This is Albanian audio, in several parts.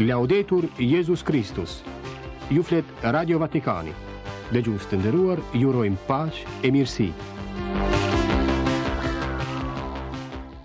Laudetur Jezus Kristus. Ju flet Radio Vatikani. Dëgjues të nderuar, ju urojmë paqe e mirësi.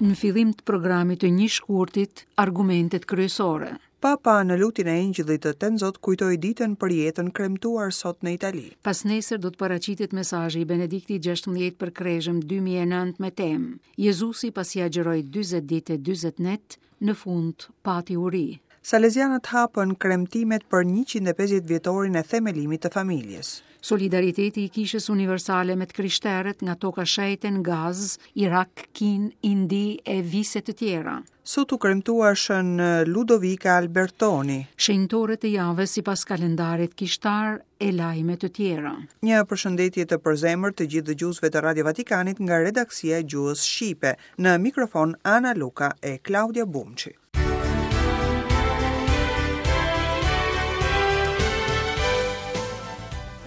Në fillim të programit të një shkurtit, argumentet kryesore. Papa në lutjen e Engjëllit të Tënzot kujtoi ditën për jetën kremtuar sot në Itali. Pasnesër do të paraqitet mesazhi i Benediktit XVI për Krezhëm 2009 me temë Jezusi pasi agjëroi 40 ditë e 40 net, në fund pati uri. Salezianët hapën kremtimet për 150 vjetorin e themelimit të familjes. Solidariteti i Kishës Universale me të krishterët nga Toka Shenjte në Gazë, Irak, Kinë, Indi e vise të tjera. Sot u kremtua Shën Ludovika Albertoni. Shenjtorët e javës sipas kalendarit kishtar e lajme të tjera. Një përshëndetje të përzemërt të gjithë dëgjuesve të Radio Vatikanit nga redaksia e gjuhës shqipe. Në mikrofon Ana Luka e Klaudia Bumçi.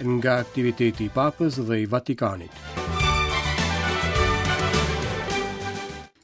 Nga aktiviteti i Papës dhe i Vatikanit.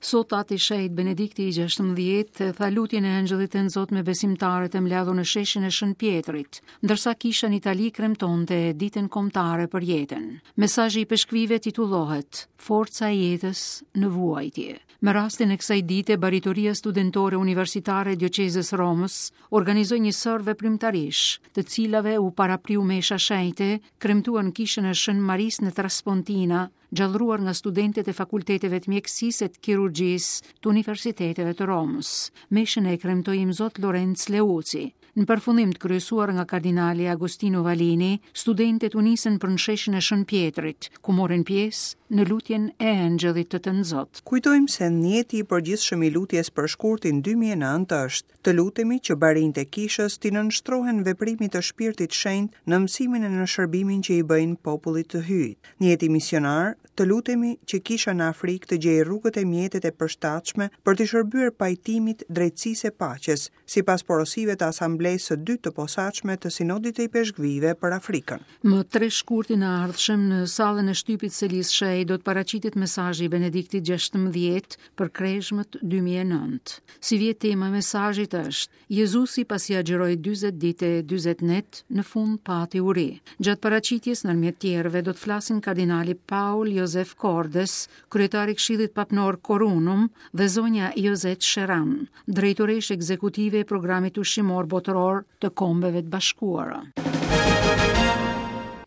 Sot Ati i Shenjtë Benedikti i 16 tha lutjen e Engjëllit Tënzot me besimtarët e mbledhur në sheshin e Shën Pjetrit, ndërsa kisha në Itali kremtonte ditën kombëtare për jetën. Mesazhi i ipeshkvijve titullohet Forca e jetës në vuajtje. Me rastin e kësaj dite, Baritoria Studentore Universitare e Dioqezës Romës organizoi një sërë veprimtarish, të cilave u parapriu mesha shenjte, kremtuar në kishën e Shën Marisë në Traspontina, gjallëruar nga studentët e fakulteteve të mjekësisë e të kirurgjisë të universiteteve të Romës. Meshën e kremtoi Imzot Lorenc Leuci. Në përfundim të kryesuar nga kardinali Agostino Vallini, studentët u nisën për në sheshin e Shën Pjetrit, ku morën pjesë në lutjen e Engjëllit të Tënzot. Kujtojmë se nijeti i përgjithshëm i lutjes për shkurtin 2009 është, të lutemi që barinjtë e Kishës t'i nënshtrohen veprimit të Shpirtit Shenjt në mësimin e në shërbimin që i bëjnë popullit të Hyjit. Nijeti misionar, të lutemi që Kisha në Afrikë të gjejë rrugët e mjetet e përshtatshme për t'i shërbyer pajtimit, drejtësisë e paqes, sipas porosive të Asamblesë së Dytë të Posaçme të Sinodit të Ipeshkvijve për Afrikën. Më 3 shkurtin e ardhshëm në sallën e shtypit Selisë Shenjtë do të paraqitet mesazhi i Benediktit XVI për Krezhmët 2009. Sivjet tema e mesazhit është Jezusi pasi agjëroi 40 ditë e 40 net, në fund pati uri. Gjatë paraqitjes ndërmjet tjerëve do të flasin kardinali Paul Josef Cordes, kryetar i Këshillit Papnor Quorunum dhe zonja Josette Sheran, drejtoreshë ekzekutive e Programit Ushqimor Botëror të Kombeve të Bashkuara.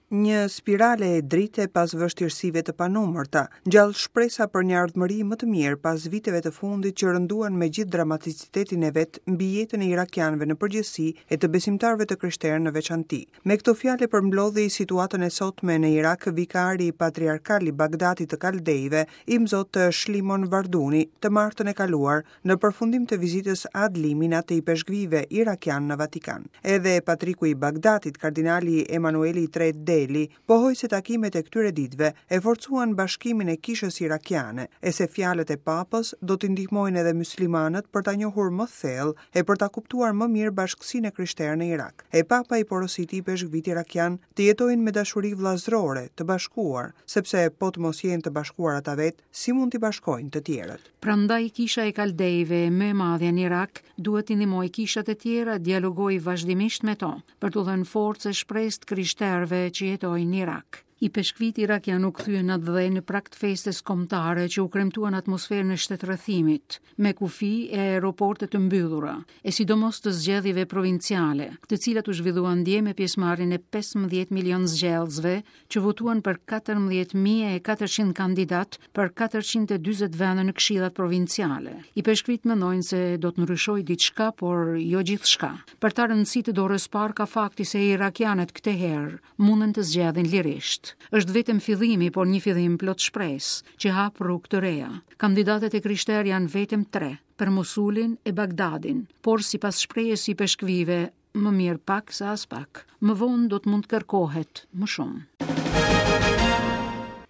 Një spirale drite pas vështirësive të panumërta, ngjall shpresa për një ardhmëri më të mirë pas viteve të fundit që rënduan me gjithë dramaticitetin e vet mbi jetën e irakianëve në përgjithësi e të besimtarëve të krishterë në veçanti. Me këto fjalë e përmblodhi situatën e sotme në Irak vikari patriarkal i Bagdatit të Kaldejve, Imzot Shlimon Varduni, të martën e kaluar, në përfundim të vizitës ad limina të ipeshkvijve irakianë në Vatikan. Edhe patriku i Bagdatit, kardinali Emanueli i Tretë Deli, pohoi se takimet e këtyre ditëve e forcuan bashkimin e kishës irakiane, e se fjalët e Papës do t'i ndihmojnë edhe myslimanët për ta njohur më thellë e për ta kuptuar më mirë bashkësinë e krishterë në Irak. E Papa i porositi ipeshkvijtë irakianë të jetojnë me dashuri vëllazërore, të bashkuar, sepse po të mos jenë të bashkuar ata vetë, si mund t'i bashkojnë të tjerët. Prandaj kisha e Kaldejve, më e madhja në Irak, duhet t'i ndihmojë kishat e tjera, dialogojë vazhdimisht me to, për t'u dhënë forcë e shpresë të krishterëve që jetojnë në Irak. Ipeshkvijtë irakianë u kthyen në atdhe në prag të festës kombëtare që u kremtua në atmosferën e shtetrrethimit, me kufij e aeroporte të mbyllura, e sidomos të zgjedhjeve provinciale, të cilat u zhvilluan dje me pjesëmarrjen e 15 milion zgjedhësve që votuan për 14.400 kandidatë për 440 vende në këshillat provinciale. Ipeshkvijtë mendojnë se do të ndryshojë diçka, por jo gjithçka. Për ta rëndësi të dorës parë ka fakti se irakianët këtë herë munden të zgjedhin lirisht. Është vetëm fillimi, por një fillim plot shpresë, që hap rrugë të reja. Kandidatët e krishterë janë vetëm tre, për Mosulin e Bagdadin, por sipas shprehjes së ipeshkvijve, Më mirë pak se aspak. Më vonë do të mund të kërkohet më shumë.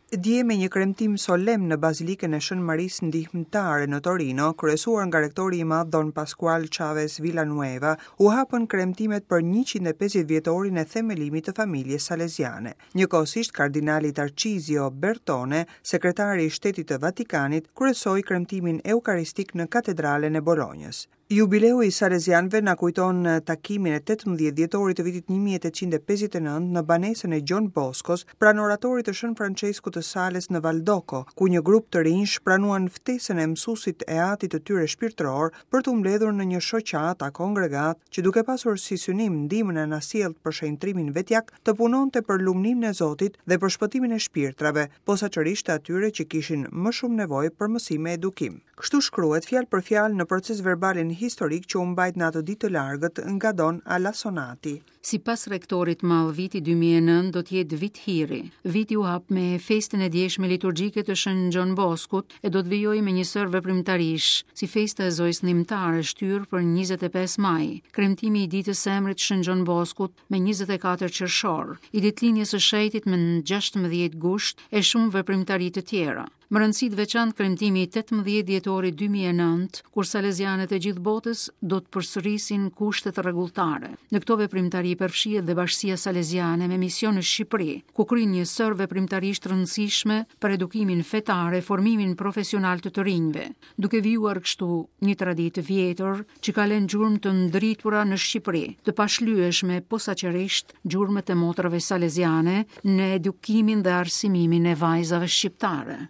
Dje me një kremtim solemn në Bazilikën e Shën Marisë Ndihmëtare në Torino, kryesuar nga rektori i madh Don Pascual Chavez Villanueva, u hapën kremtimet për 150 vjetorin e themelimit të familjes saleziane. Njëkohësisht kardinali Tarcizio Bertone, sekretari i Shtetit të Vatikanit, kryesoi kremtimin eukaristik në Katedralen e Bolonjës. Jubileu i Salezianëve na kujton takimin e 18 dhjetorit të vitit 1859 në banesën e Gjon Boskos, pranë oratorit të Shën Françeskut të Sales në Valdoko, ku një grup të rinjsh pranuan ftesën e mësuesit e atit të tyre shpirtëror për t'u mbledhur në një shoqatë a kongregatë që duke pasur si synim ndihmën e anasjelltë për shenjtërimin vetjak, të punonte për lumninë e Zotit dhe për shpëtimin e shpirtrave, posaçërisht të atyre që kishin më shumë nevojë për mësim e edukim. Kështu shkruhet fjalë për fjalë në procesverbalin historik që u mbajt në atë ditë të largët nga Don Alasonati. Sipas rektorit Mall viti 2009 do të jetë vit hiri. Viti u hap me festën e djeshme liturgjike të Shën Gjon Boskut e do të vijojë me një sërë veprimtarish, si festa e Zojës Ndihmëtare shtyrë për 25 maj, kremtimi i ditës së emrit Shën Gjon Boskut me 24 qershor, i ditëlindjes së shenjtit me 16 gusht e shumë veprimtari të tjera. Me rëndësi të veçantë kremtimi i 18 dhjetorit 2009, kur salezianët e gjithë botës do të përsërisin kushtet rregulltare. Në këto veprimtari përfshihet dhe Bashkësia Saleziane me mision në Shqipëri, ku kryen një sërë veprimtarish të rëndësishme për edukimin fetar e formimin profesional të të rinjve, duke vijuar kështu një traditë të vjetër që ka lënë gjurmë të ndritura në Shqipëri, të pashlyeshme posaçërisht gjurmët e motrave saleziane në edukimin dhe arsimimin e vajzave shqiptare.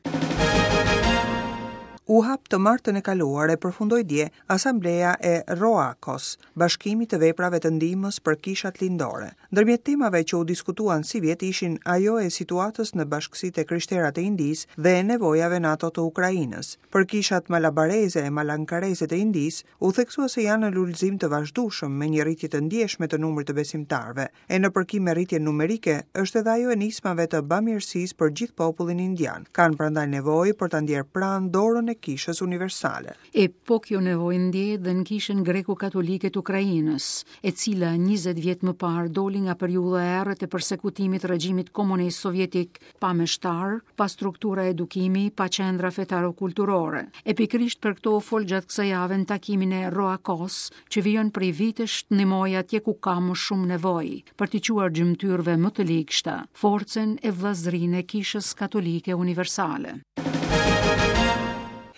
U hap të martën e kaluar e përfundoi dje Asambleja e Roakos, Bashkimit të Veprave të Ndihmës për Kishat Lindore. Ndërmjet temave që u diskutuan sivjet ishin ajo e situatës në bashkësitë e krishtera të Indisë dhe e nevojave në ato të Ukrainës. Për kishat malabareze e malankareze të Indisë, u theksua se janë në lulëzim të vazhdueshëm me një rritje të ndjeshme të numrit të besimtarëve, e në përkim me rritjen numerike është edhe ajo e nismave të bamirësisë për gjithë popullin indian. Kanë prandaj nevojë për ta ndjerë pranë dorën e Kishës Universale. E po kjo nevojë ndjehet dhe në Kishën Greko-Katolike të Ukrainës, e cila 20 vjet më parë doli nga periudha e errët e persekutimit të regjimit komunist sovjetik pa meshtarë, pa struktura edukimi, pa qendra fetaro-kulturore. E pikërisht për këto u fol gjatë kësaj jave në takimin e Roakos, që vijon prej vitesh të ndihmojë atje ku ka më shumë nevojë, për t'i çuar gjymtyrëve më të ligshta, forcën e vëllazërinë e Kishës Katolike Universale.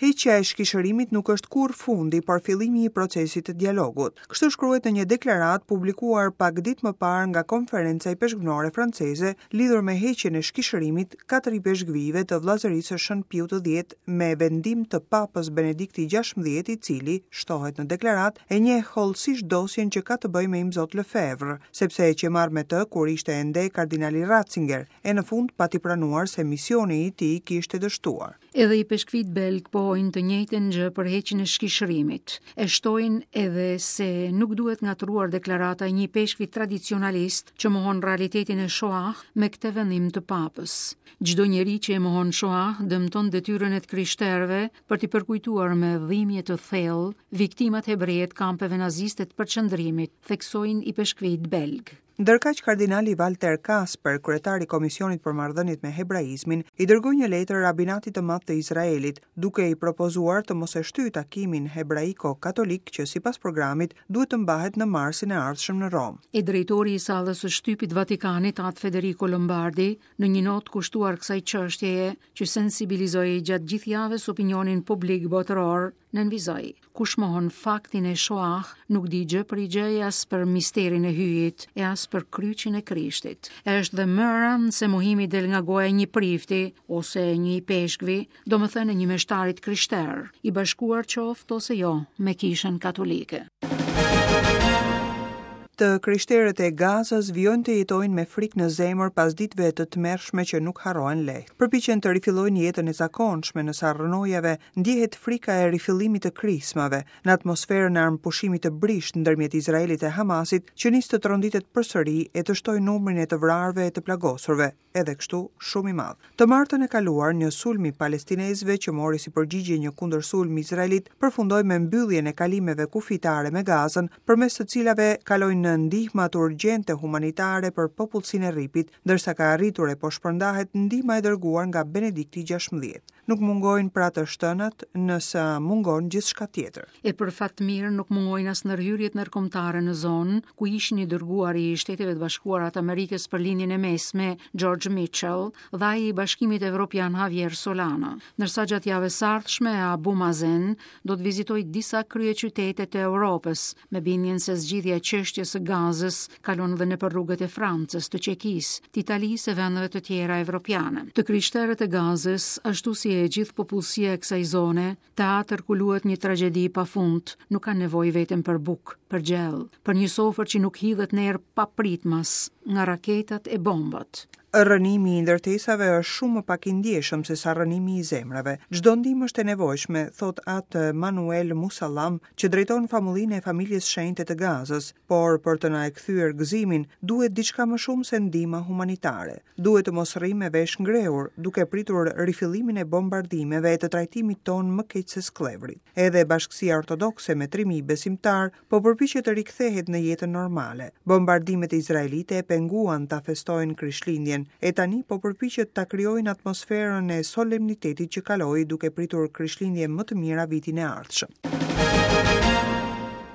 Heqja e shkishërimit nuk është kurrë fundi, por fillimi i procesit të dialogut. Kështu shkruhet në një deklaratë publikuar pak ditë më parë nga Konferenca Ipeshkvnore Franceze lidhur me heqjen e shkishërimit katër ipeshkvijve të Vëllazërisë së Shën Piut të Dhjetë me vendim të Papës Benedikti XVI, i cili, shtohet në deklaratë, e njeh hollësisht dosjen që ka të bëjë me Imzot Lefebvre, sepse e qe marrë me të kur ishte ende kardinali Ratzinger, e në fund pati pranuar se misioni i tij kishte dështuar. Edhe ipeshkvijtë belgë pohojnë të njëjtën gjë për heqjen e shkishërimit. E shtojnë edhe se nuk duhet ngatërruar deklarata e një ipeshkvi tradicionalist që mohon realitetin e Shoah me këtë vendim të papës. Çdo njeri që e mohon Shoah dëmton detyrën e të krishterëve për t'i përkujtuar me dhimbje të thellë viktimat hebreje të kampeve naziste të përqendrimit, theksojnë ipeshkvijtë belgë. Ndërkaq kardinali Walter Kasper, kryetar i Komisionit për Marrëdhëniet me Hebraizmin, i dërgoi një letër Rabinatit të Madh të Izraelit, duke i propozuar të mos e shtyjë takimin hebraiko-katolik që sipas programit duhet të mbahet në marsin e ardhshëm në Romë. E drejtori i sallës së shtypit të Vatikanit, Atë Federico Lombardi, në një notë kushtuar kësaj çështjeje, që sensibilizoi gjatë gjithë javës opinionin publik botëror, nënvizoi, Kush mohon faktin e Shoah, nuk di gjë prej gjëje as për misterin e Hyjit e as për kryqin e Krishtit. E është dhe më e rëndë se mohimi del nga goja e një prifti ose e një ipeshkvi, domethënë e një meshtari të krishterë, i bashkuar qoftë ose jo me Kishën Katolike. Të krishterët e Gazës vijojnë të jetojnë me frikë në zemër pas ditëve të tmerrshme që nuk harrohen lehtë. Përpiqen të rifillojnë jetën e zakonshme në sa rrënojave ndjehet frika e rifillimit të krismave, në atmosferën e armëpushimit të brishtë ndërmjet Izraelit e Hamasit, që nis të tronditet përsëri e të shtojë numrin e të vrarëve e të plagosurve, edhe kështu shumë i madh. Të martën e kaluar, një sulm i palestinezëve që mori si përgjigje një kundërsulm izraelit përfundoi me mbylljen e kalimeve kufitare me Gazën, përmes të cilave kalojnë ndihmat urgjente humanitare për popullsinë e Rripit, ndërsa ka arritur e po shpërndahet ndihma e dërguar nga Benedikti XVI. Nuk mungojnë pra të shtënat, nëse mungon gjithçka tjetër. E për fat të mirë nuk mungojnë as ndërhyrjet ndërkombëtare në zonë, ku ishin i dërguari i Shteteve të Bashkuara të Amerikës për Lindjen e Mesme, George Mitchell, dhe ai i Bashkimit Evropian Javier Solana. Ndërsa gjatë javës së ardhshme Abu Mazen do të vizitojë disa kryeqytete të Europës, me bindjen se zgjidhja e çështjes së Gazës kalon edhe nëpër rrugët e Francës, të Çekisë, të Italisë e vendeve të tjera evropiane. Të krishterët e Gazës, ashtu si e gjithë popullsia e kësaj zone, teatër ku luhet një tragjedi pa fund, nuk kanë nevojë vetëm për bukë, për gjellë, për një sofër që nuk hidhet në erë papritmas nga raketat e bombat. Rrënimi i ndërtesave është shumë më pak i ndjeshëm se sa rrënimi i zemrave. Çdo ndihmë është e nevojshme, thotë Atë Manuel Musallam, që drejton famullinë e Familjes Shenjte të Gazës, por për të na e kthyer gëzimin, duhet diçka më shumë se ndihma humanitare. Duhet të mos rrimë me vesh ngrehur, duke pritur rifillimin e bombardimeve e të trajtimit tonë më keq se skllevërit. Edhe bashkësia ortodokse me 3000 besimtarë po përpiqet të rikthehet në jetën normale. Bombardimet izraelite e penguan ta festojnë Krishtlindjen, e tani po përpiqet ta krijojnë atmosferën e solemnitetit që kaloi duke pritur Krishtlindje më të mira vitin e ardhshëm.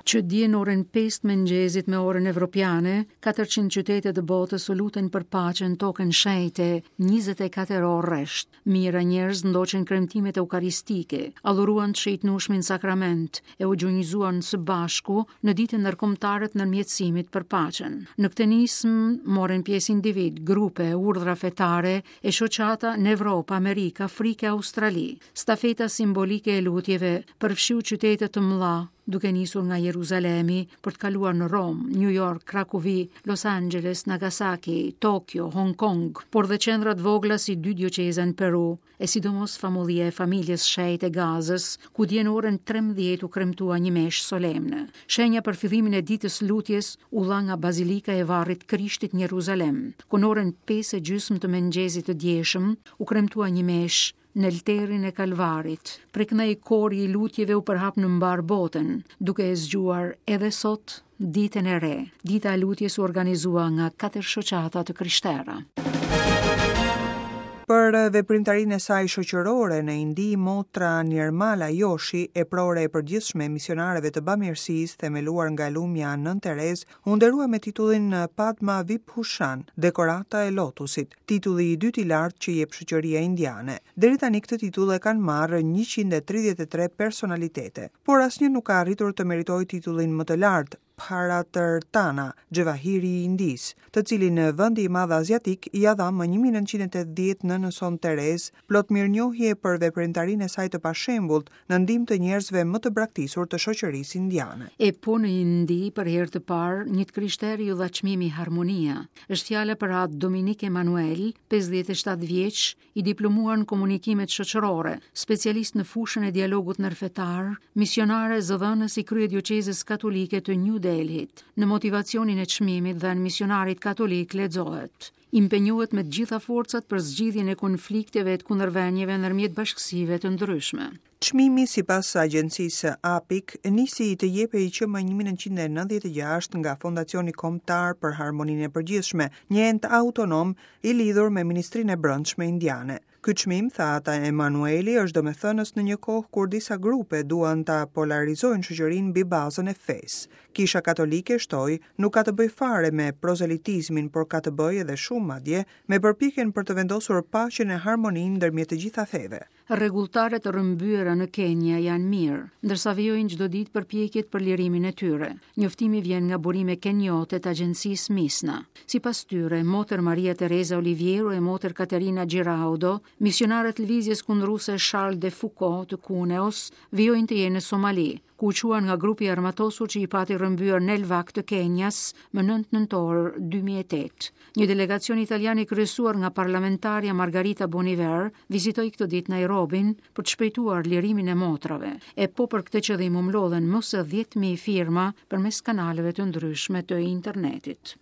Që dje në orën 5 të mëngjesit me orën evropiane, 400 qytete të botës u lutën për paqen në tokën shenjte 24 orë rresht. Mijëra njerëz ndoqën kremtimet eukaristike, adhuruan të shenjtnueshmin sakrament e u gjunjëzuan së bashku në ditën ndërkombëtare të ndërmjetësimit për paqen. Në këtë nismë morën pjesë individë, grupe, urdhra fetare e shoqata në Evropë, Amerikë, Afrikë e Australi. Stafeta simbolike e lutjeve përfshiu qytete të mëdha, duke nisur nga Jeruzalemi për të kaluar në Romë, New York, Krakovi, Los Angeles, Nagasaki, Tokyo, Hong Kong, por dhe qendra të vogla si dy dioqeza në Peru, e sidomos famullia e familjes shenjte e Gazës, ku dje në orën 13 u kremtua një meshë solemne. Shenja për fillimin e ditës lutjes u dha nga Bazilika e Varrit Krishtit në Jeruzalem, ku në orën 5 e gjysmë të mëngjesit të djeshëm u kremtua një meshë në lterin e Kalvarit. Prej këndej kori i lutjeve u përhap në mbarë botën, duke e zgjuar edhe sot ditën e re. Dita e lutjes u organizua nga katër shoqata të krishtera. Për veprimtarinë e saj shoqërore në Indi, motra Nirmala Joshi, eprore e përgjithshme e misionareve të bamirësisë, themeluar nga lumja Nënë Terezë, u nderua me titullin Padma Vibhushan, Dekorata e Lotusit. titulli i dytë i lartë që jep shoqëria indiane. Deri tani këtë titull e kanë marrë 133 personalitete, por asnjë nuk ka arritur të meritojë titullin më të lartë, Bharat Ratna, Xhevahiri i Indisë, të cilin vendi i madh aziatik ia dha më 1980 nënës sonë Terezë, plot mirënjohje për veprimtarinë e saj të pashembullt në ndihmë të njerëzve më të braktisur të shoqërisë indiane. E po në Indi, për herë të parë, një të krishteri iu dha çmimi Harmonia. Është fjala për atë Dominik Emanuel, 57 vjeç, i diplomuar në komunikimet shoqërore, specialist në fushën e dialogut ndërfetar, misionar e zëdhënës i kryedioqezës katolike të New Delhit. Në motivacionin e çmimit dhënë misionarit katolik lexohet: impenjohet me të gjitha forcat për zgjidhjen e konflikteve e të kundërvënieve ndërmjet bashkësive të ndryshme. Çmimi, sipas agjencisë APIK, nisi të jepej që më 1996 nga Fondacioni Kombëtar për Harmoninë e Përgjithshme, një ent autonom i lidhur me Ministrinë e Brendshme Indiane. Ky çmim, tha Atë Emanueli, është domethënës në një kohë kur disa grupe duan ta polarizojnë shoqërinë mbi bazën e fesë. Kisha Katolike, shtoi, nuk ka të bëjë fare me prozelitizmin, por ka të bëjë edhe shumë madje me përpjekjen për të vendosur paqen e harmoninë ndërmjet të gjitha feve. Rregulltaret e rrëmbyera në Kenia janë mirë, ndërsa vijojnë çdo ditë përpjekjet për lirimin e tyre. Njoftimi vjen nga burime keniote të agjencisë Misna. Sipas tyre, Motër Maria Teresa Oliviero e Motër Caterina Giraudo, misionare të lëvizjes kundruese Charles de Foucauld të Kuneos, vijojnë të jenë në Somali, ku u çuan nga grupi i armatosur që i pati rrëmbyer në Elvak të Kenias më 9 nëntor 2008. Një delegacion italian i kryesuar nga parlamentarja Margarita Boniver vizitoi këtë ditë Nairobin për të shpejtuar lirimin e motrave, e po për këtë qëllim u mblodhën më se 10.000 firma përmes kanaleve të ndryshme të internetit.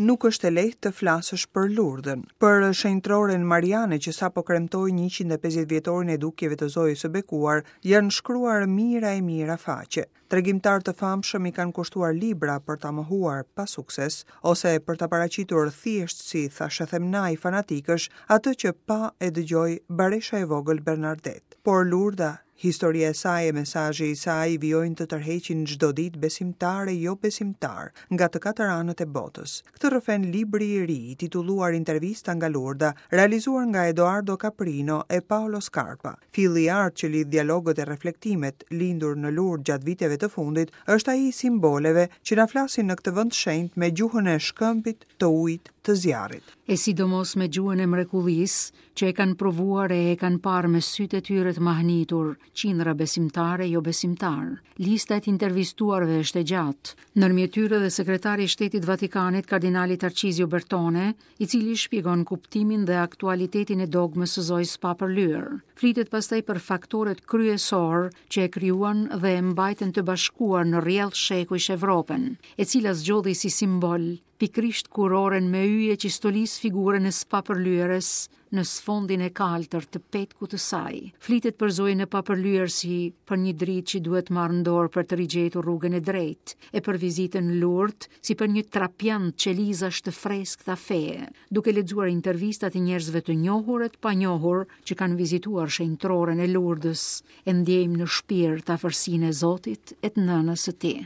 Nuk është e lehtë të flasësh për Lurdën. Për shenjtëroren mariane që sapo kremtoi 150 vjetorin e dukjeve të Zojës së Bekuar, janë shkruar mijëra e mijëra faqe. Tregimtarë të famshëm i kanë kushtuar libra për ta mohuar pa sukses, ose për ta paraqitur thjesht si thashethemnajë fanatikësh atë që pa e dëgjoi baresha e vogël Bernardet. Por Lurda Historia e saj e mesazhi i saj vijojnë të tërheqin çdo ditë besimtarë e jobesimtarë nga të katër anët e botës. Këtë rrëfen libri i ri, i titulluar Intervista nga Lurda, realizuar nga Edoardo Caprino e Paolo Scarpa. Filli i artë që lidh dialogët e reflektimet, lindur në Lurdë gjatë viteve të fundit, është ai i simboleve që na flasin në këtë vend të shenjtë me gjuhën e shkëmbit, të ujit, të zjarrit. E sidomos me gjuhën e mrekullisë, që e kanë provuar e e kanë parë me sytë e tyre të mahnitur, qindra besimtarë e jobesimtarë. Lista e të intervistuarve është e gjatë. Ndërmjet tyre dhe sekretari i Shtetit të Vatikanit, kardinali Tarcizio Bertone, i cili shpjegon kuptimin dhe aktualitetin e dogmës së Zojës së Papërlyer. Flitet pastaj për faktorët kryesorë që e krijuan dhe e mbajtën të bashkuar në rrjedhë shekujsh Evropën, e cila zgjodhi si simbol pikërisht kurorën me yje që stolis figurën e së papërlyerës në sfondin e kaltër të petkut të saj. Flitet për Zojën e Papërlyer si për një dritë që duhet marrë në dorë për të rigjetur rrugën e drejtë, e për vizitën në Lurd si për një trapiant qelizash të freskëta feje, duke lexuar intervistat e njerëzve të njohur e të panjohur që kanë vizituar shenjtëroren e Lurdës, e ndjejmë në shpirt afërsinë e Zotit e të nënës së tij.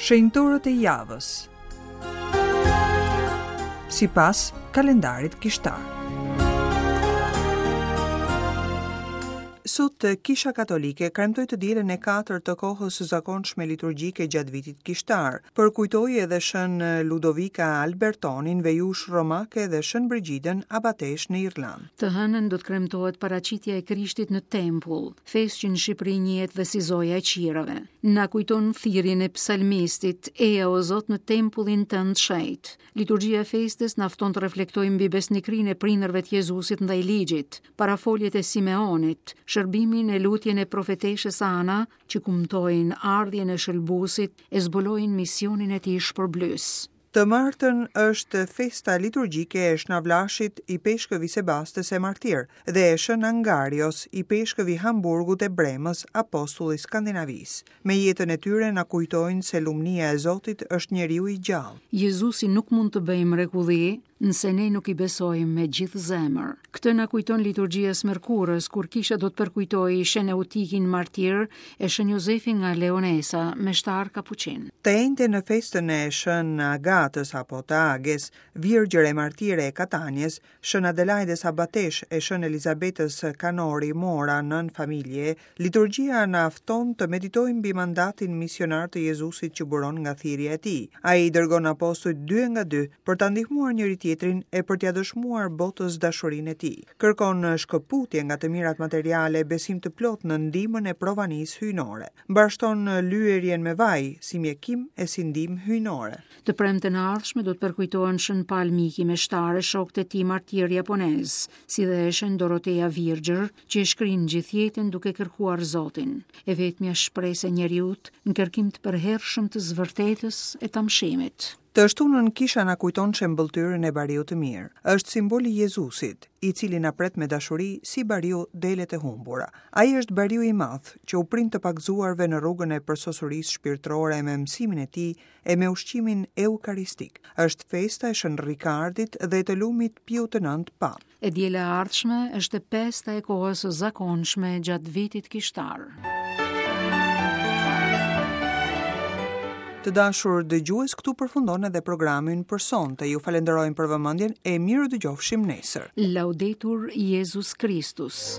Shenjtorët e javës Sipas kalendarit kishtar Sot Kisha Katolike kremtoi të dielën e katërt të kohës së zakonshme liturgjike gjatë vitit kishtar. Përkujtoi edhe Shën Ludovika Albertonin, vejushë romake dhe Shën Brigjidën, abateshë në Irlandë. Të hënën do të kremtohet paraqitja e Krishtit në tempull, festë që në Shqipëri njihet dhe si Zoja e Qirave. Na kujton thirrjen e psalmistit, Eja o Zot në tempullin tënd të shenjtë. Liturgjia e festës na fton të reflektojmë mbi besnikërinë e prindërve të Jezusit ndaj ligjit, parafoljet e Simeonit, shërbimin e lutjen e profeteshës Ana, që kumtojnë ardhjen e Shëlbuesit e zbulojnë misionin e tij shpërblyes. Të martën është festa liturgjike e Shna Vlashit, ipeshkëv i Sebastës e martir, dhe e Shën Angarios, ipeshkëv i Hamburgut e Bremës, apostull i Skandinavisë. Me jetën e tyre na kujtojnë se lumnia e Zotit është njeriu i gjallë. Jezusi nuk mund të bëjë mrekulli, nëse ne nuk i besojmë me gjithë zemër. Këtë na kujton liturgjia e së mërkurës, kur kisha do të përkujtojë Shën Eutikin martir e Shën Jozefin nga Leonesa, meshtar kapuçin. Të enjten në festën e Shën Agatës apo të Ages, virgjër e martire e Katanies, Shën Adelajdes abateshë e Shën Elizabetës Kanori Mora nënë familjeje, Liturgjia na fton të meditojmë mbi mandatin misionar të Jezusit që buron nga thirrja e tij. Ai i dërgon apostujt dy e nga dy për ta ndihmuar njëri-tjetrin e për t'ia dëshmuar botës dashurinë e tij. Kërkon shkëputje nga të mirat materiale e besim të plotë në ndihmën e provanisë hyjnore. Mbarështon lyerjen me vaj si mjekim e si ndihmë hyjnore. Të premten e ardhshme do të përkujtohen Shën Pal Miki meshtar e shokët e tij martirë japonezë, si dhe Shën Dorotea Virgjër, që e shkrinë gjithë jetën duke kërkuar Zotin, e vetmja shpresë e njeriut në kërkim të përhershëm të së vërtetës e të amshimit. Të shtunën kisha na kujton shembëlltyrën e bariut të mirë. Është simbol i Jezusit, i cili na pret me dashuri si bariu delet e humbura. Ai është bariu i madh, që u prin të pagëzuarve në rrugën e përsosurisë shpirtërore me mësimin e tij e me ushqimin eukaristik. Është festa e Shën Rikardit dhe të lumit Piu të Nëntë Papë. E diela e ardhshme është e pesta e kohës së zakonshme gjatë vitit kishtar. Të dashur dëgjues, këtu përfundon edhe programi ynë për sonte. Ju falenderojmë për vëmendjen e mirudëgjofshim nesër. Laudetur Jezus Kristus.